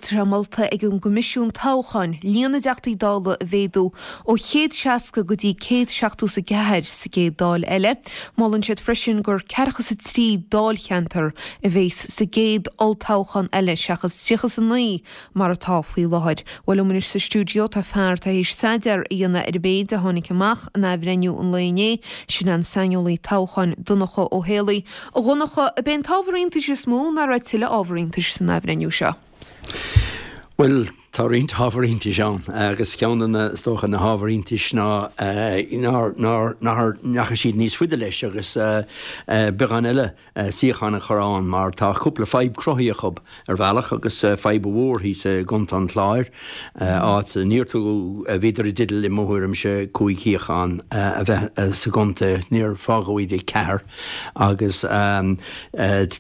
Tá sé molta ag an gCoimisiún Toghcháin líon na dTeachtaí Dála a mhéadú ó 160 go dtí 174 sa gcéad Dáil eile. Molann siad freisin gur 43 dáilcheantar a bhéas sa gcéad olltoghchán eile seachas 39 mar atá faoi láthair. Bhuel, liom anois sa stiúideo tá fear atá théis staidéar a dhéanamh ar an mhéid a tháinig amach in athbhreithniú an lae inné, sin an saineolaí toghcháin Donncha Ó Héalaí. A Dhonncha, ab é an t-ábhar iontais is mó nach raibh tuilleadh ábhar iontais san athbhreithniú seo? Bhuel, tá roinnt ábhar iontais ann agus ceann de na, is dócha, na hábhair iontais ná nár, nár, nár ndeachaigh siad níos faide leis agus beagán eile suíochán a chur ann mar tá cúpla fadhb cruthaithe acu ar bhealach agus fadhb mhór thíos i gContae an Chláir, áit níor tugadh, bhíodar i dteideal i mo thuairimse 5 shuíochán a bheith sa gcontae, níor fágadh iad ag ceathair agus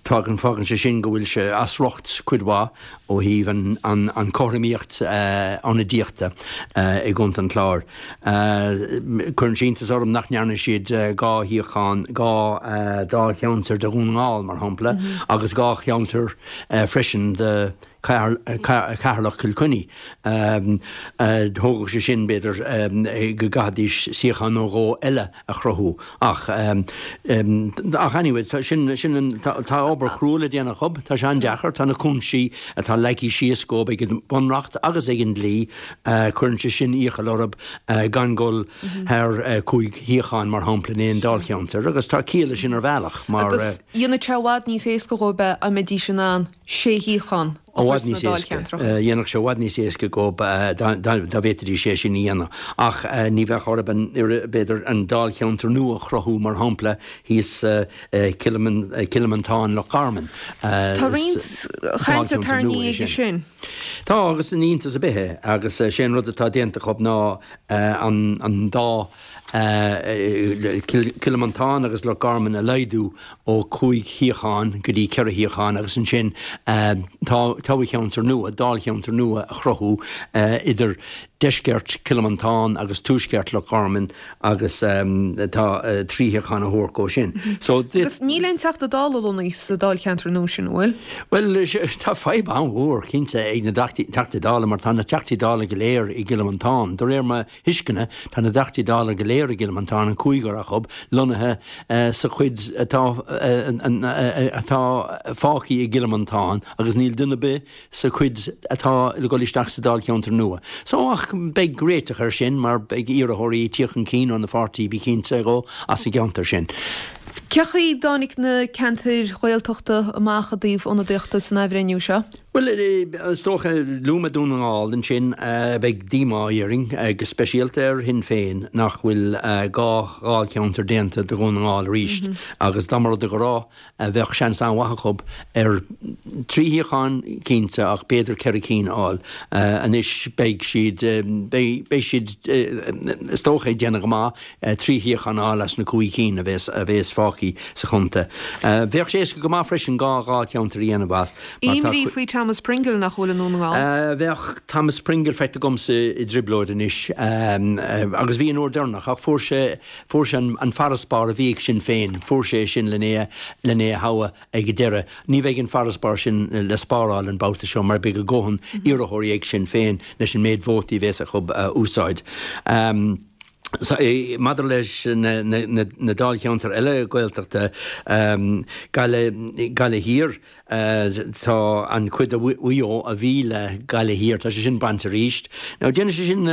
tágann, fágann sé sin go bhfuil sé as riocht cuid mhaith. ó thaobh an chothromaíocht ionadaíochta i gContae an Chláir. Cuireann sé iontas orm nach ndearna siad 2 shuíochán, 2 dáilcheantar do Dhún na nGall, mar shampla, agus 2 cheantar freisin do Cheatharlach Cill Chainnigh. Thógfadh sé sin, b'fhéidir, go gcaithfidís suíochán nó dhó eile a chruthú. Ach, ach anyway, tá sin, sin an, tá, tá obair chrua le déanamh acu, tá sé an-deacair, tá na cúinsí atá leagtha síos dhóibh ag an Bunreacht agus ag an dlí, cuireann sé sin iachall orthu gan dul thar 5 shuíochán, mar shampla, in aon dáilcheantar agus tá ciall leis sin ar bhealach mar. Agus dhéanfadh sé i bhfad níos éasca dhóibh é dá mbeidís in ann 6 shuíochán a chur sna dáilcheantracha. Dhéanfadh sé i bhfad níos éasca dhóibh dá bhféadfaidís é sin a dhéanamh. Ach ní bheadh orthu an, b'fhéidir, an dáilcheantar nua a chruthú, mar shampla, thíos Cill Mhantáin, Loch Garman. Tá roinnt cainte tarraingthe aige sin. Tá, agus ní iontas ar bith é. Agus sé an rud atá déanta acu ná an dá Cill Mhantáin agus Loch Garman a laghdú ó 5 shuíochán go dtí 4 shuíochán agus ansin toghcheantar nua, dáilcheantar nua a chruthú idir deisceart Chill Mhantáin agus tuaisceart Loch Garman agus tá 3 shuíochán a thabhairt dhó sin. So. Agus níl aon Teachta Dála lonnaithe sa dáilcheantar nua sin, an bhfuil? Bhuel, tá fadhb an-mhór cinnte ag na Teachtaí Dála mar tá na Teachtaí Dála go léir i gCill Mhantáin. De réir mo thuisceana, tá na dTeachtaí Dála go léir i gCill Mhantáin, an cúigear acu, lonnaithe sa chuid atá atá fágtha i gCill Mhantáin agus níl duine ar bith sa chuid atá le dhul isteach sa dáilcheantar nua. So, ach beidh réiteach air sin mar beidh iarrthóirí ag tíocht chun cinn ó na pháirtí, bí cinnte dhó, as an gceantar sin. Cé chaoi a dtáinig na ceantair Ghaeltachta amach i dtaobh ionadaíochta san athbhreithniú seo? Bhuel, is dócha, luaigh mé Dún na nGall ansin, beidh díomá orainn, go speisialta ar Shinn Féin, nach bhfuil 2 dháilcheantar déanta do Dhún na nGall arís agus dá mba rud é go raibh, bheadh seans an-mhaith acu ar 3 shuíochán cinnte ach b'fhéidir 4 cinn a fháil. Anois beidh siad, beidh siad, is dócha, ag déanamh go maith 3 shuíochán a fháil as na 5 cinn a bheas, a bheas fágtha sa chontae. Bheadh sé éasca go maith freisin 2 dháilcheantar a dhéanamh as. Imní faoi Thomas Pringle nach bhfuil i nDún na nGall. Bheadh Thomas Pringle feicthe agamsa i dtrioblóid anois agus bhí an uair deireanach ach fuair sé, fuair sé an farasbarr a bhí ag Sinn Féin, fuair sé é sin len é, len é a thoghadh ag an deireadh. Ní bheidh an farasbarr sin le spáráil an babhta seo mar beidh a dhóthain iarrthóirí ag Sinn Féin leis an méid vótaí a bheas acu a úsáid. Maidir leis na dáilcheantair eile Gaeltachta, Gaillimh Thiar, tá an chuid de Mhaigh Eo a bhí le Gaillimh Thiar, tá sé sin bainte arís. Now déanfaidh sé sin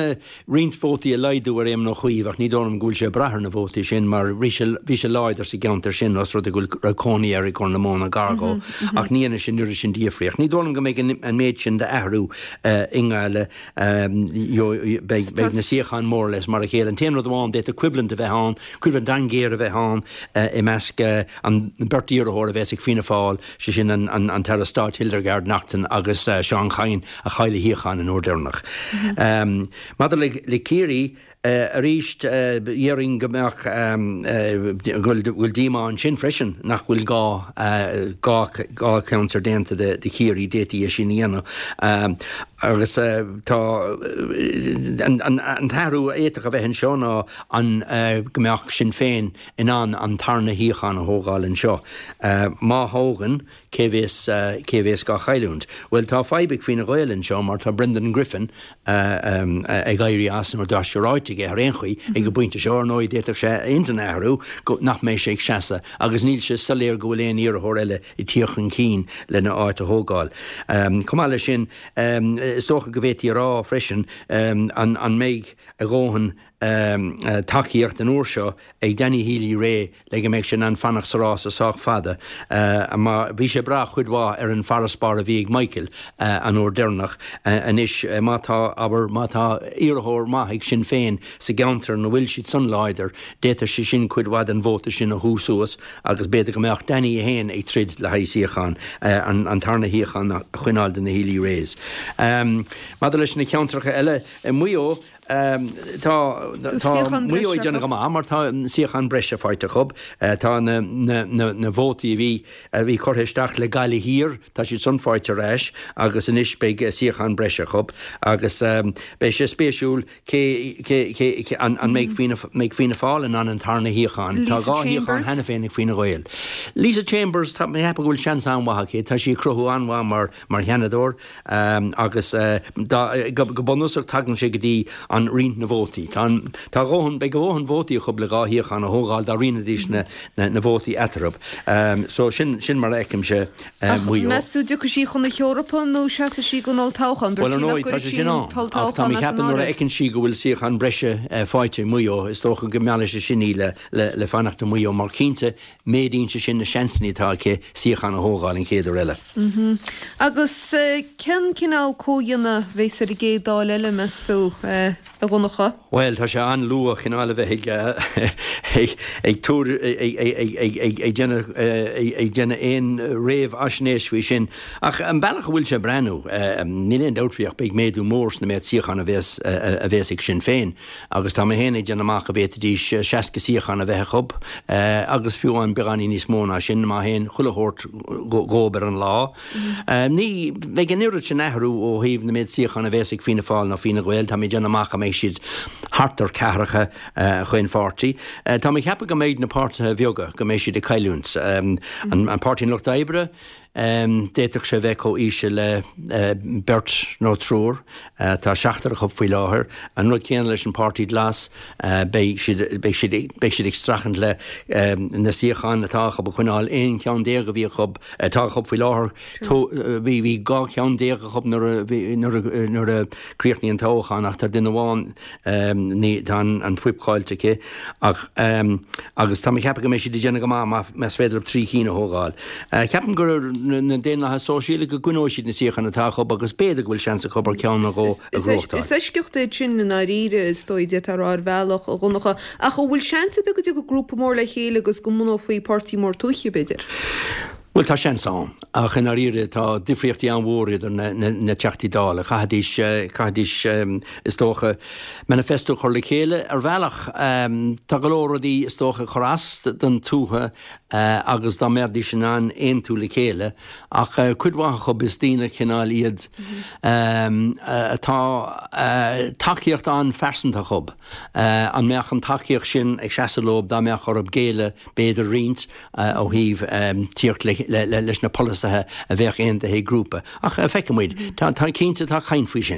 roinnt vótaí a laghdú ar Éamon Ó Cuív ach ní dóigh liom go bhfuil sé ag brath ar na vótaí sin mar bhí sé bhí sé láidir sa gceantar sin os rud é go raibh cónaí air i gCorr na Móna gar dhó ach ní dhéanfaidh sé an oiread sin difríocht. Ní dóigh liom go mbeidh an méid sin d'athrú i nGaillimh Beidh na suíocháin more or less mar a chéile. An t-aon rud amháin, d'fhéadfadh coimhlint a bheith ann, coimhlint an-ghéar a bheith ann i measc an beirt iarrthóir a bheas ag Fianna Fáil, sé sin an tAire Stáit Hildegarde Naughton agus Seán Kyne a chaill a shuíochán an uair deireanach. Maidir le Ciarraí, Arís, déarfainn go mbeadh, go bhfuil díomá ansin freisin nach bhfuil 2 dháilcheantar déanta de Chiarraí, d'fhéadfaí é sin a dhéanamh. Agus tá, an t-athrú a fhéadfadh a bheith anseo ná an, go mbeadh Sinn Féin in ann an tarna shuíochán a thógáil anseo. Má thógann. Cé bhéas, cé bhéas dhá chailliúint? Bhuel, tá fadhb ag Fianna Gael anseo mar tá Brendan Griffin ag éirí as, nó tá sé ráite aige ar aon chaoi ag an bpointe seo, ar ndóigh d'fhéadfadh sé a intinn a athrú, go, nach mbeidh sé ag seasamh agus níl sé soiléir go bhfuil aon iarrthóir eile ag tíocht chun cinn lena áit a thógáil. Chomh maith leis sin, is dócha go bhféadfaí a rá freisin an, an mbeidh a dhóthain tacaíocht an uair seo ag Danny Healy-Rae le go mbeidh sé in ann fanacht sa rása sách fada mar bhí sé ag brath cuid mhaith ar an bhfarasbarr a bhí ag Michael an uair deireanach. Anois má tá, abair, má tá iarrthóir maith ag Sinn Féin sa gceantar ina bhfuil siad san láidir, d'fhéadfadh sé sin cuid mhaith den vóta sin a shú suas agus b'fhéidir go mbeadh Danny é féin ag troid le haghaidh suíochán, an tarna shuíochán a choinneáil do na Healy-Raes. Maidir leis na ceantracha eile, i Maigh Eo, Tá Maigh Eo ag déanamh go maith mar tá suíochán breise faighte acu. Tá na vótaí a bhí a bhí curtha isteach le Gaillimh Thiar, tá siad san faighte ar ais agus anois beidh suíochán breise acu agus beidh sé spéisiúil cé cé cé an mbeidh Fianna mbeidh Fianna Fáil in ann an tarna shuíochán. Tá 2 shuíochán cheana féin ag Fine Gael. Lisa Chambers, tá mé ag ceapadh go bhfuil seans an-mhaith aici. Tá sí ag cruthú an-mhaith mar mar Sheanadóir. Agus go bunúsach tagann sé go dtí an roinnt na vótaí. Tá an, tá a dhóthain, beidh a dhóthain vótaí acu le 2 shuíochán a thógáil dá roinnfidís na, na vótaí eatarthu. So sin, sin mar a fheicimse Ach Maigh Eo. meas tú dtiocfaidh sí chun na hEorpa nó seasfaidh sí don olltoghchán? Dúirt Bhuel, ar sí nach ndóigh, tá gcuirfidh sé sí sin an ann. Ach tá t-olltoghchán mé as an ceapadh nuair a áireamh. fheiceann sí go bhfuil suíochán breise faighte i Maigh Eo, is dócha go meallfaidh sé sin í le, le, le fanacht i Maigh Eo mar cinnte Méadaíonn sé sin na seansanna atá aici suíochán a thógáil an chéad uair eile. Agus cén cineál comhdhéanamh a bheas ar an gcéad Dáil eile, meas tú, a Dhonncha? Bhuel, tá sé an-luath cineál a bheith ag ag tuar ag déanamh ag déanamh aon réamhaisnéis faoi sin. Ach an bealach a bhfuil sé ag breathnú, níl aon dabht faoi ach beidh méadú mór sna méid suíochán a bhéas a bhéas ag Sinn Féin. Agus tá mé féin ag déanamh amach go bhféadfaidís 60 suíochán a bheith acu, agus fiú amháin beagáinín níos mó ná sin, má théann chuile shórt dhóib ar an lá. Ní bheidh an oiread sin athrú ó thaobh na méid suíochán a bhéas ag Fianna Fáil ná Fine Gael, tá mé ag déanamh amach go mbeidh siad thart ar ceathracha chaon pháirtí. Tá mé ag ceapadh go mbeidh na páirtithe bheaga, go mbeidh siad ag cailliúint. An Páirtí an Lucht Oibre, D'fhéadfadh sé bheith chomh íseal le beirt nó triúr. Tá seachtar acu faoi láthair. An rud céanna leis an Páirtí Glas, beidh siad, beidh siad, beidh siad ag streachailt le na suíocháin atá acu a choinneáil. 11 ceann a bhí acu, atá acu faoi láthair. Bhí, bhí 12 cheann acu nuair a bhí, nuair a, nuair a críochnaíodh an toghchán ach tá duine amháin, Ní, tá an fuip caillte aici ach, agus tá mé ag ceapadh go mbeidh siad ag déanamh go maith más féidir leo 3 chinn a thógáil. Ceapaim gur na Daonlathaithe Sóisialaigh go gcoinneoidh siad na suíocháin atá acu agus b'fhéidir go bhfuil seans acu ar cheann nó dhó a ghnóthachtáil. Is eisceacht é sin i ndáiríre, is dóigh, d'fhéadfá a rá ar bhealach, a Dhonncha. Ach an bhfuil seans ar bith go dtiocfadh grúpa mór le chéile agus go mbunófaí páirtí mór tuaithe, b'fhéidir? Bhuel, tá seans ann, ach i ndáiríre tá difríochtaí an-mhór idir na Teachtaí Dála. Chaithfidís, chaithfidís, is dócha, manifesto a chur le chéile. Ar bhealach, tá go leor rudaí, is dócha, ag cur as don tuath agus dá mbeidís in ann aontú le chéile, ach cuid mhaith acu, is daoine cineál iad atá tacaíocht an-phearsanta acu. An mbeadh an tacaíocht sin ag seasamh leo dá mbeadh orthu géilleadh, b'fhéidir, roinnt ó thaobh tíocht leis na polasaithe a bheadh aontaithe ag grúpa. Ach feicfidh muid. Tá, cinnte, tá caint faoi sin.